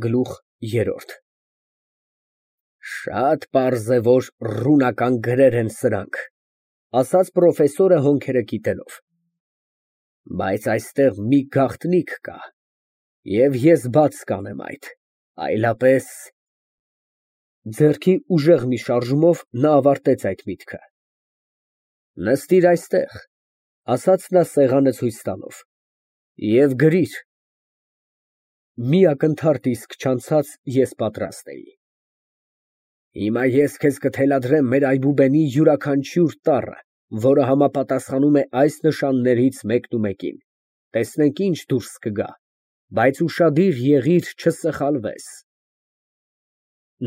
Գլուխ երրորդ Շատ պարզ է, որ ռունական գրեր են սրանք, ասաց պրոֆեսորը հոնքերը կիտելով, բայց այստեղ մի գաղտնիք կա, և ես բաց կանեմ այդ, այլապես… Ձեռքի ուժեղ մի շարժումով նա ավարտեց այդ միտքը։ Նստիր այստեղ, ասաց նա սեղանը ցույց տալով, և գրիր։ Մի ակնթարթ իսկ չանցած ես պատրաստ էի։ Հիմա ես քեզ կթելադրեմ մեր այբուբենի յուրաքանչյուր տառը, որը համապատասխանում է այս նշաններից մեկնումեկին, տեսնենք ինչ դուրս կգա, բայց ուշադիր եղիր չսխալվես։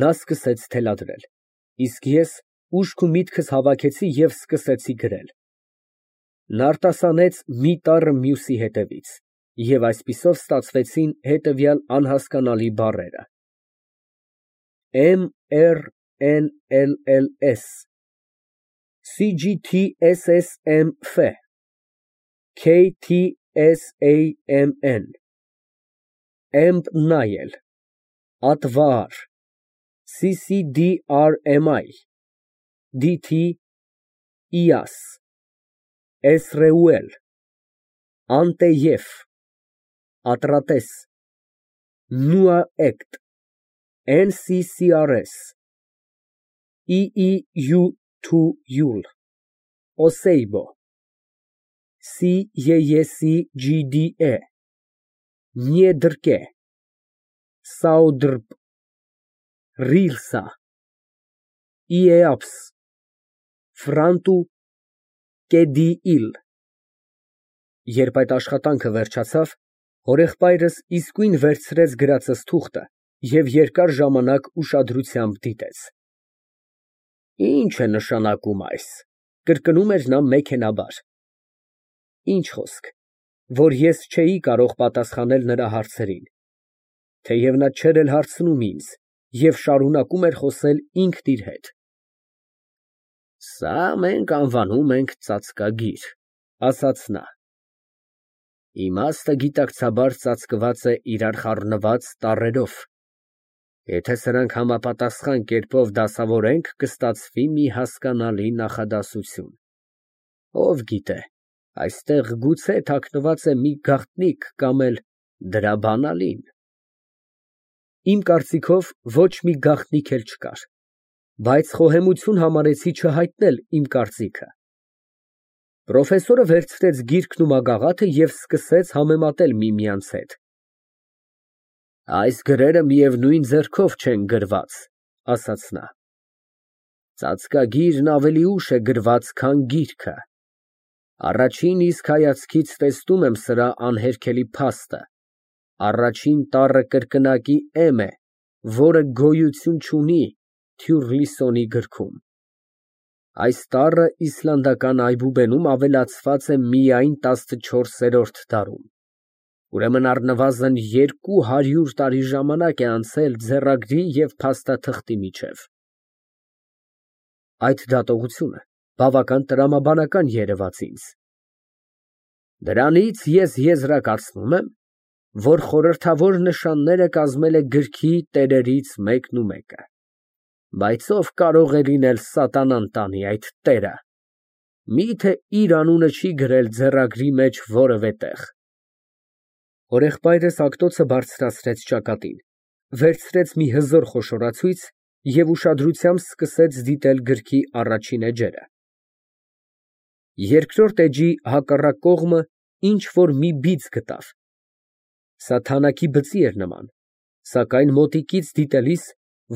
Նա սկսեց թելադրել, իսկ ես ուշք ու միտքս հավաքեցի և սկսեցի գրել։ Նա արտասանեց մի տառը մյուսի հետևից, և այսպիսով ստացվեցին հետևյալ անհասկանալի բառերը. MRNLLS CGTSSMF KTSAMN Էմպնայել Ատվար CCDRMI DT IAS Էսրեուել Անտեև Ատրատես Նուաէկտ NCCRS EEU2UL Օսեյբո CEECGDE Նիեդրկե Սաուդրբ Ռիլսա Իեապս Ֆրանտու Կեդիիլ Երբ այդ աշխատանքը վերջացավ, հորեղբայրս իսկույն վերցրեց գրածս թուղթը և երկար ժամանակ ուշադրությամբ դիտեց։ Ի՞նչ է նշանակում այս, կրկնում էր նա մեքենաբար։ Ինչ խոսք, որ ես չէի կարող պատասխանել նրա հարցերին, թեև նա չէր էլ հարցնում ինձ և շարունակում էր խոսել ինքն իր հետ։ Սա մենք անվանում ենք ծածկագիր, ասաց նա։ Իմաստը գիտակցաբար ծածկված է իրար խառնված տառերով։ Եթե սրանք համապատասխան կերպով դասավորենք, կստացվի մի հասկանալի նախադասություն։ Ով գիտե, այստեղ գուցե թաքնված է մի գաղտնիք կամ էլ դրա բանալին։ Իմ կարծիքով ոչ մի գաղտնիք էլ չկար, բայց խոհեմություն համարեցի չհայտնել իմ կարծիքը։ Պրոֆեսորը վերցրեց գիրքն ու մագաղաթը և սկսեց համեմատել միմյանց հետ։ Այս գրերը միևնույն ձեռքով չեն գրված, ասաց նա։ Ծածկագիրն ավելի ուշ է գրված, քան գիրքը։ Առաջին իսկ հայացքից տեսնում եմ սրա անհերքելի փաստը։ Առաջին տառը կրկնակի M է, որը գոյություն չունի Թյուրլիսոնի գրքում։ Այս տառը իսլանդական այբուբենում ավելացված է միայն 14-րդ դարում։ Ուրեմն առնվազն 200 տարի ժամանակ է անցել ձեռագրի և փաստաթղթի միջև։ Այդ դատողությունը բավական տրամաբանական երևաց ինձ։ Դրանից ես եզրակացնում եմ, որ խորհրդավոր նշանները կազմել է գրքի տերերից մեկն ու մեկը։ Բայց ով կարող է լինել սատանան տանի այդ տերը։ Միթե իր անունը չի գրել ձեռագրի մեջ որևէ տեղ։ Հորեղբայրս ակտոցը բարձրացրեց ճակատին, վերցրեց մի հզոր խոշորացույց և ուշադրությամբ սկսեց դիտել գրքի առաջին էջերը։ Երկրորդ էջի հակառակ կողմը ինչ֊որ մի բիծ գտավ։ Սա թանաքի բծի էր նման, սակայն մոտիկից դիտելիս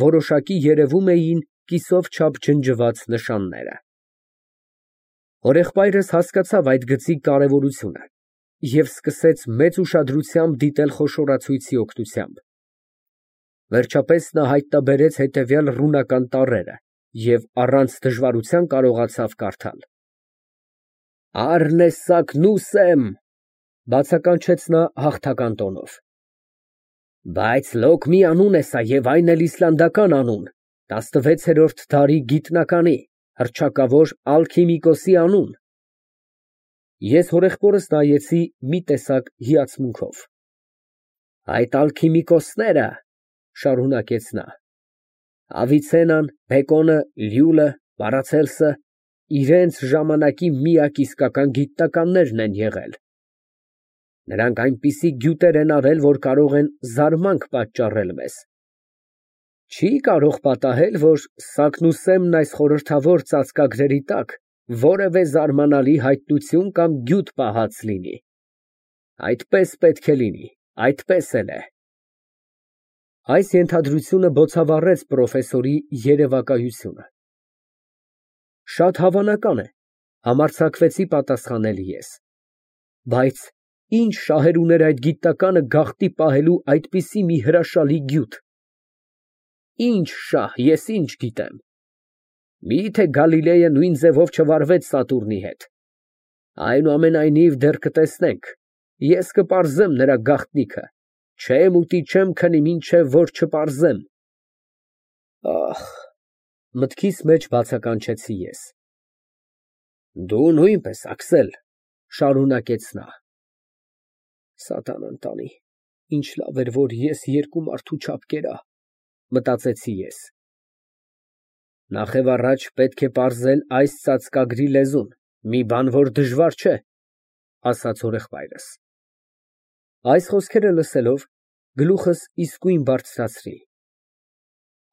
որոշակի երևում էին կիսով չափ ջնջված նշանները։ Հորեղբայրս հասկացավ այդ գծի կարևորությունը և սկսեց մեծ ուշադրությամբ դիտել խոշորացույցի օգնությամբ։ Վերջապես նա հայտնաբերեց հետևյալ ռունական տառերը և առանց դժվարության կարողացավ կարդալ։ Արնեսակնուսեմ, բացականչեց նա հաղթական տոնով։ Բայց լոկ մի անուն է սա և այն էլ իսլանդական անուն, 16-րդ դարի գիտնականի, հռչակավոր ալքիմիկոսի անուն։ Ես հորեղբորս նայեցի մի տեսակ հիացմունքով։ Այդ ալքիմիկոսները Շարունակեց նա։ Ավիցենան, Բեկոնը, Լյուլը, Պարացելսը իրենց ժամանակի միակ իսկական գիտնականներն են եղել։ Նրանք այնպիսի գյուտեր են արել, որ կարող են զարմանք պատճառել մեզ։ Չի կարող պատահել, որ Սակնուսեմն այս խորհրդավոր ծածկագրերի տակ որևէ զարմանալի հայտնություն կամ գյուտ պահած լինի։ Այդպես պետք է լինի, այդպես էլ է։ Այս ենթադրությունը բոցավառեց պրոֆեսորի երևակայությունը։ Շատ հավանական է, համարձակվեցի պատասխանել ես։ Բայց ինչ շահեր ուներ այդ գիտականը գաղտնի պահելու այդպիսի մի հրաշալի գյուտ։ Ինչ շահ, ես ինչ գիտեմ։ Միթե Գալիլեյը նույն ձևով չվարվեց Սատուրնի հետ։ Այնուամենայնիվ դեռ կտեսնենք, ես կպարզեմ նրա գաղտնիքը, չեմ ուտի չեմ քնի մինչև որ չպարզեմ։ Ախ, մտքիս մեջ բացականչեցի ես։ Դու նույնպես, Աքսել, շարունակեց նա։ Սատանան տանի, ինչ լավ էր, որ ես երկու մարդու չափ կերա, մտածեցի ես։ Նախ եւ առաջ պետք է պարզել այս ծածկագրի լեզուն, մի բան, որ դժվար չէ, ասաց հորեղբայրս։ Այս խոսքերը լսելով, գլուխս իսկույն բարձրացրի։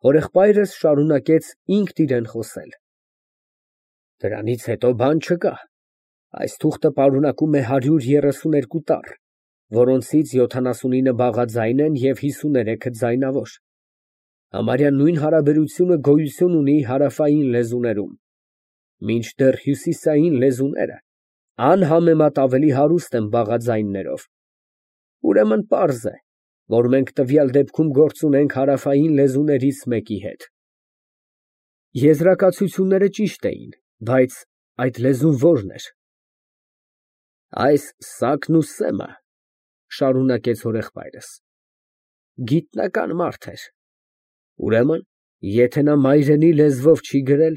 Հորեղբայրս շարունակեց ինքն իրեն խոսել։ Դրանից հետո բան չկա։ Այս թուղթը պարունակում է 132 տառ, որոնցից 79 բաղաձայն են և 53-ը ձայնավոր։ Համարյա նույն հարաբերությունը գոյություն ունի հարավային լեզուներում, մինչդեռ հյուսիսային լեզուները անհամեմատ ավելի հարուստ են բաղաձայններով։ Ուրեմն պարզ է, որ մենք տվյալ դեպքում գործ ունենք հարավային լեզուներից մեկի հետ։ Եզրակացությունները ճիշտ էին, բայց այդ լեզուն ո՞րն էր։ Այս Սակնուսեմը, շարունակեց հորեղբայրս, գիտնական մարդ էր։ Ուրեմն, եթե նա մայրենի լեզվով չի գրել,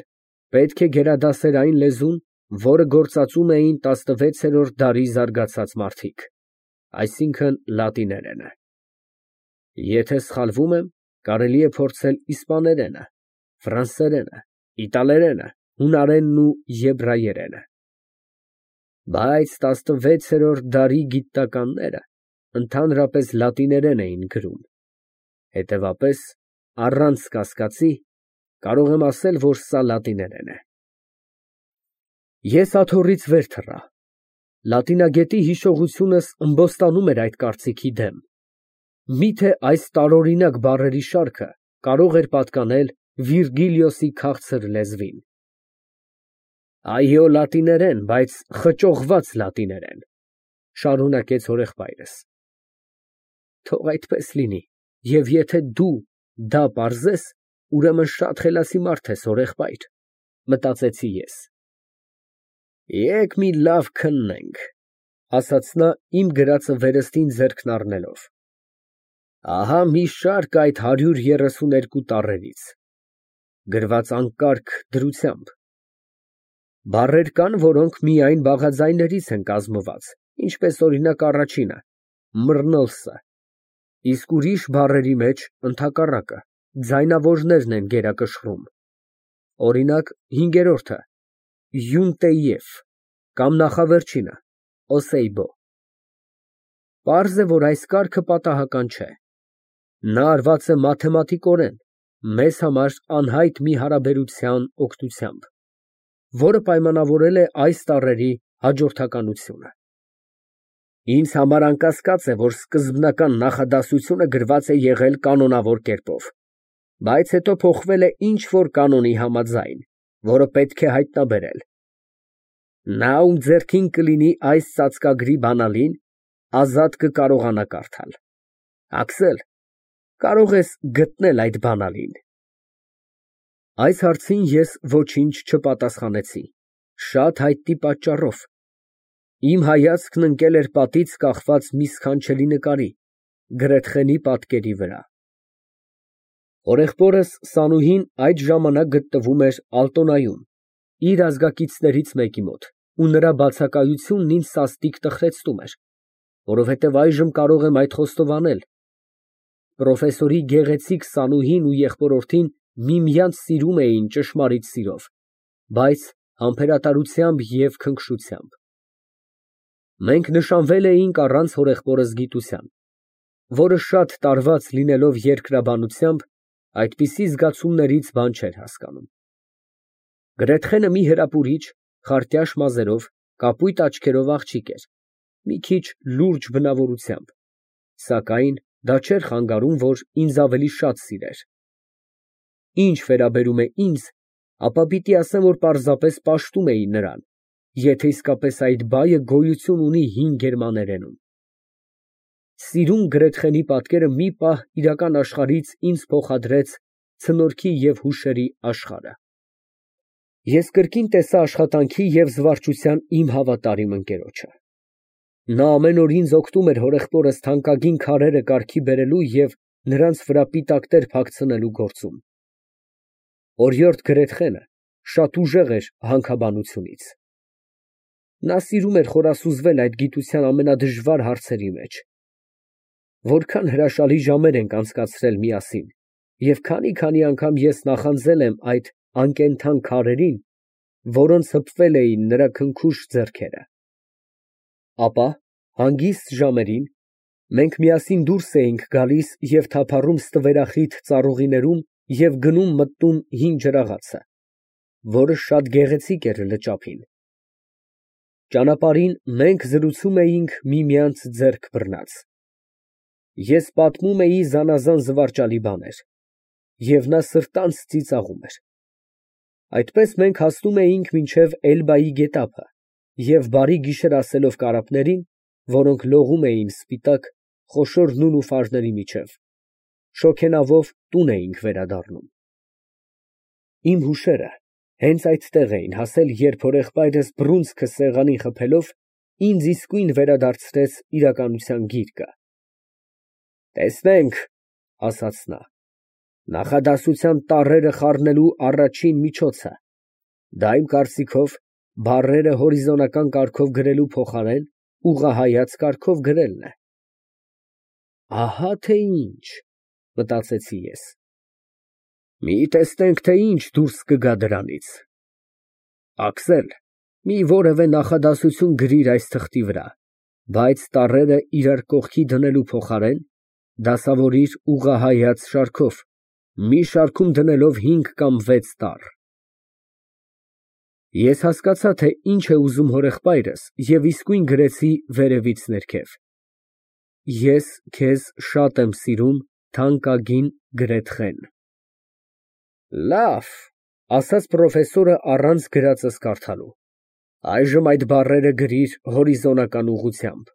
պետք է գերադասեր այն լեզուն, որը գործածում էին 16-րդ դարի զարգացած մարդիկ, այսինքն լատիներենը։ Եթե սխալվում եմ, կարելի է փորձել իսպաներենը, ֆրանսերենը, իտալերենը, հունարենն ու եբրայերենը։ Բայց 16-րդ դարի գիտնականները ընդհանրապես լատիներեն էին գրում։ Հետևաբար, առանց կասկածի, կարող եմ ասել, որ սա լատիներեն է։ Ես աթոռից վեր թռա։ Լատինագետի հիշողությունս ըմբոստանում էր այդ կարծիքի դեմ։ Միթե այս տարօրինակ բառերի շարքը կարող էր պատկանել Վիրգիլիոսի քաղցր լեզվին։ Այո, լատիներեն, բայց խճողված լատիներեն, շարունակեց հորեղբայրս։ Թող այդպես լինի, և եթե դու դա պարզես, ուրեմն շատ խելացի մարդ ես, հորեղբայր, մտածեցի ես։ Եկ մի լավ քննենք, ասաց նա իմ գրածը վերստին ձեռքն առնելով։ Ահա մի շարք այդ 132 տառերից, գրված անկարգ դրությամբ։ Բառեր կան, որոնք միայն բաղաձայներից են կազմված, ինչպես օրինակ առաջինը, մռնոլսը, իսկ ուրիշ բառերի մեջ ընդհակառակը, ձայնավորներն են գերակշռում։ Օրինակ, հինգերորդը, յունտեյև, կամ նախավերջինը, օսեյբո։ Պարզ է, որ այս կարգը պատահական չէ։ Նա արված է մաթեմատիկորեն, մեզ համար անհայտ մի հարաբերության օգնությամբ, որը պայմանավորել է այս տառերի հաջորդականությունը։ Ինձ համար անկասկած է, որ սկզբնական նախադասությունը գրված է եղել կանոնավոր կերպով, բայց հետո փոխվել է ինչ-որ կանոնի համաձայն, որը պետք է հայտնաբերել։ Նա, ում ձեռքին կլինի այս ծածկագրի բանալին, ազատ կկարողանա կարդալ։ Աքսել, կարող ես գտնել այդ բանալին։ Այս հարցին ես ոչինչ չպատասխանեցի, շատ հայտնի պատճառով։ Իմ հայացքն ընկել էր պատից կախված մի սքանչելի նկարի, Գրեթխենի պատկերի վրա։ Հորեղբորս Սանուհին այդ ժամանակ գտնվում էր Ալտոնայում, իր ազգակիցներից մեկի մոտ, ու նրա բացակայությունն ինձ սաստիկ տխրեցնում էր, որովհետև այժմ կարող եմ այդ խոստովանել։ պրոֆեսորի գեղեցիկ Սանուհին ու եղբորորդին միմյանց սիրում էին ճշմարիտ սիրով, բայց համբերատարությամբ և քնքշությամբ։ Մենք նշանվել էինք առանց հորեղբորս գիտության, որը շատ տարված լինելով երկրաբանությամբ, այդպիսի զգացումներից բան չէր հասկանում։ Գրեթխենը մի հրապուրիչ, խարտյաշ մազերով, կապույտ աչքերով աղջիկ էր, մի քիչ լուրջ բնավորությամբ, սակայն դա չէր խանգարում, որ ինձ ավելի շատ սիրեր։ Ինչ վերաբերում է ինձ, ապա պիտի ասեմ, որ պարզապես պաշտում էի նրան, եթե իսկապես այդ բայը գոյություն ունի հին գերմաներենում։ Սիրուն Գրեթխենի պատկերը մի պահ իրական աշխարհից ինձ փոխադրեց ցնորքի և հուշերի աշխարհը։ Ես կրկին տեսա աշխատանքի և զվարճության իմ հավատարիմ ընկերոջը։ Նա ամեն օր ինձ օգնում էր հորեղբորս թանկագին քարերը կարգի բերելու և նրանց վրա պիտակներ փակցնելու գործում։ Օրիորդ Գրեթխենը շատ ուժեղ էր հանքաբանությունից։ Նա սիրում էր խորասուզվել այդ գիտության ամենադժվար հարցերի մեջ։ Որքան հրաշալի ժամեր ենք անցկացրել միասին, և քանի անգամ ես նախանձել եմ այդ անկենդան քարերին, որոնց հպվել էին նրա քնքուշ ձեռքերը։ Ապա հանգիստ ժամերին մենք միասին դուրս էինք գալիս և թափառում ստվերախիտ ծառուղիներում և գնում մտնում հին ջրաղացը, որը շատ գեղեցիկ էր լճափին։ Ճանապարհին մենք զրուցում էինք միմյանց ձեռք բռնած։ Ես պատմում էի զանազան զվարճալի բաներ, և նա սրտանց ծիծաղում էր։ Այդպես մենք հասնում էինք մինչև Էլբայի գետափը և բարի գիշեր ասելով կարապներին, որոնք լողում էին սպիտակ, խոշոր նունուֆարների միջև, շոգենավով տուն էինք վերադառնում։ Իմ հուշերը հենց այդտեղ էին հասել, երբ հորեղբայրս բռունցքը սեղանին խփելով ինձ իսկույն վերադարձրեց իրականության գիրկը։ Տեսնենք, ասաց նա, նախադասության տառերը խառնելու առաջին միջոցը, դա իմ կարծիքով բառերը հորիզոնական կարգով գրելու փոխարեն ուղղահայաց կարգով գրելն է։ Ահա թե ինչ, մտածեցի ես։ Մի տեսնենք, թե ինչ դուրս կգա դրանից։ Աքսել, մի որևէ նախադասություն գրիր այս թղթի վրա, բայց տառերը իրար կողքի դնելու փոխարեն դասավորիր ուղղահայաց շարքով, մի շարքում դնելով 5 կամ 6 տառ։ Ես հասկացա, թե ինչ է ուզում հորեղբայրս և իսկույն գրեցի վերևից ներքև. Ես քեզ շատ եմ սիրում, թանկագին Գրեթխեն։ Լավ, ասաց պրոֆեսորը առանց գրածս կարդալու, այժմ այդ բառերը գրիր հորիզոնական ուղղությամբ։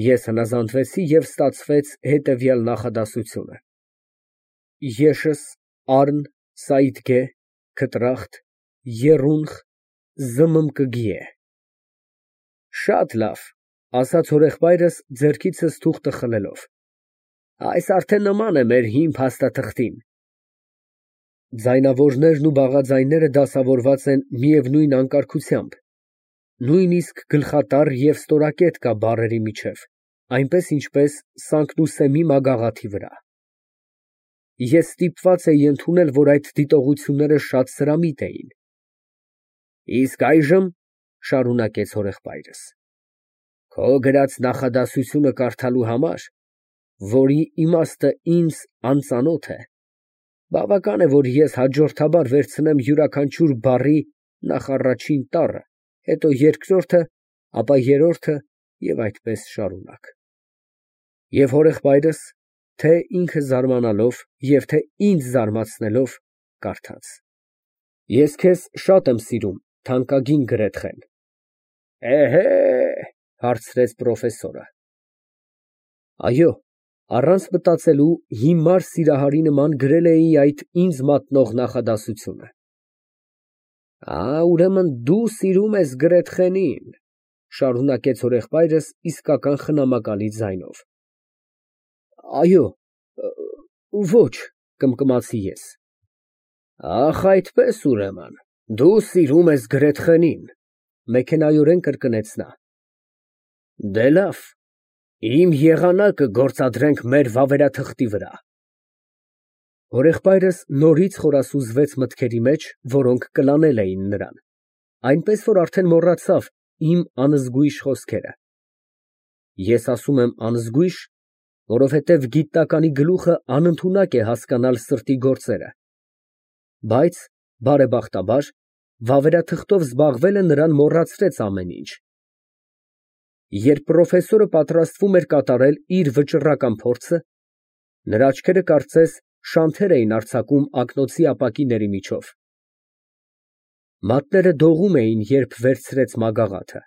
Ես հնազանդվեցի և ստացվեց հետևյալ նախադասությունը. Եշս, արն, սայիթգե, քտրախտ, եռունխ, ԶՄՄԿԳ։ Շատ լավ, ասաց հորեղբայրս ձեռքիցս թուղթը խլելով։ Այս արդեն նման է մեր հին փաստաթղթին։ Ձայնավորներն ու բաղաձայները դասավորված են միևնույն անկարգությամբ, նույնիսկ գլխատառ և ստորակետ կա բառերի միջև, այնպես ինչպես Սանկնուսեմի մագաղաթի վրա։ Ես ստիպված էի ընդունել, որ այդ դիտողությունները շատ սրամիտ էին։ Իսկ այժմ, շարունակեց հորեղբայրս, քո գրած նախադասությունը կարդալու համար, որի իմաստը ինձ անծանոթ է, բավական է, որ ես հաջորդաբար վերցնեմ յուրաքանչյուր բառի նախ առաջին տառը, հետո երկրորդը, ապա երրորդը և այդպես շարունակ։ Եվ հորեղբայրս, թե ինքը զարմանալով և թե ինձ զարմացնելով, կարդաց. Ես քեզ շատ եմ սիրում, թանկագին Գրեթխեն։ Էհե, հարցրեց պրոֆեսորը։ Այո, առանց մտածելու հիմար սիրահարի նման գրել էի այդ ինձ մատնող նախադասությունը։ Ուրեմն դու սիրում ես Գրեթխենին, շարունակեց հորեղբայրս իսկական խնամակալի ձայնով։ Այո, ոչ, կմկմացի ես։ Ախ, այդպես ուրեմն, դու սիրում ես Գրեթխենին, մեքենայորեն կրկնեց նա։ Դե լավ, Իմ եղանակը գործադրենք մեր վավերաթղթի վրա։ Հորեղբայրս նորից խորասուզվեց մտքերի մեջ, որոնք կլանել էին նրան, այնպես որ արդեն մոռացավ իմ անզգույշ խոսքերը։ Ես ասում եմ անզգույշ, որովհետև գիտնականի գլուխը անընդունակ է հասկանալ սրտի գործերը, բայց բարեբախտաբար վավերաթղթով զբաղվելը նրան մոռացրեց ամեն ինչ։ Երբ պրոֆեսորը պատրաստվում էր կատարել իր վճռական փորձը, նրա աչքերը կարծես շանթեր էին արձակում ակնոցի ապակիների միջով։ Մատները դողում էին, երբ վերցրեց մագաղաթը։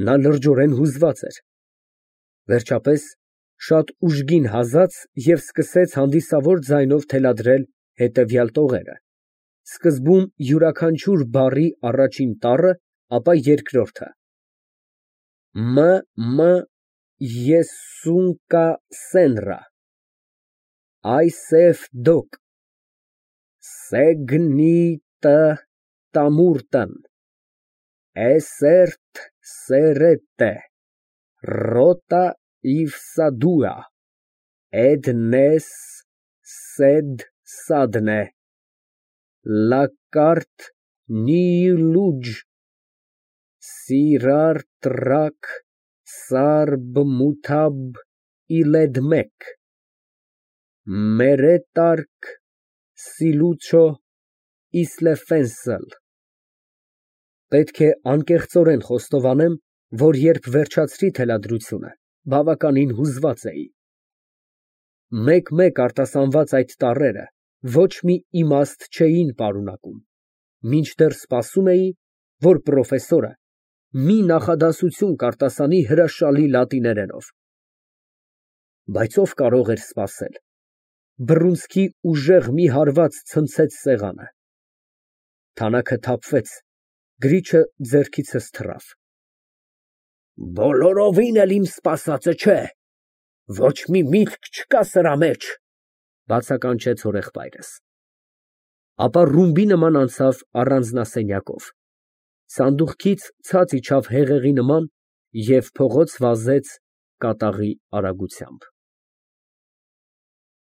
Նա լրջորեն հուզված էր։ Վերջապես շատ ուժգին հազաց և սկսեց հանդիսավոր ձայնով թելադրել հետևյալ տողերը, սկզբում յուրաքանչյուր բառի առաջին տառը, ապա երկրորդը. եսունկա սենրա, այսեֆ դոկ, սեգնիտը տամուրտն, էսերտ սերետե, ռոտա իվսադուա, էդնես սեդ սադնե, լակարտ նիլուջ, սիրար տրակ սարբ մութաբ իլեդմեք, մերետարկ սիլուչո իսլեֆենսլ։ Պետք է անկեղծորեն խոստովանեմ, որ երբ վերջացրի թելադրությունը, բավականին հուզված էի։ Մեկ-մեկ արտասանված այդ տառերը ոչ մի իմաստ չէին պարունակում, մինչդեռ սպասում էի, որ պրոֆեսորը մի նախադասություն կարտասանի հրաշալի լատիներենով։ Բայց ով կարող էր սպասել։ Բռունցքի ուժեղ մի հարված ցնցեց սեղանը։ Թանաքը թափվեց, գրիչը ձեռքիցս թռավ։ Բոլորովին էլ իմ սպասածը չէ, ոչ մի միտք չկա սրա մեջ, բացականչեց հորեղբայրս։ Ապա ռումբի նման անցավ առանձնասենյակով, սանդուղքից ցած իջավ հեղեղի նման և փողոց վազեց կատաղի արագությամբ։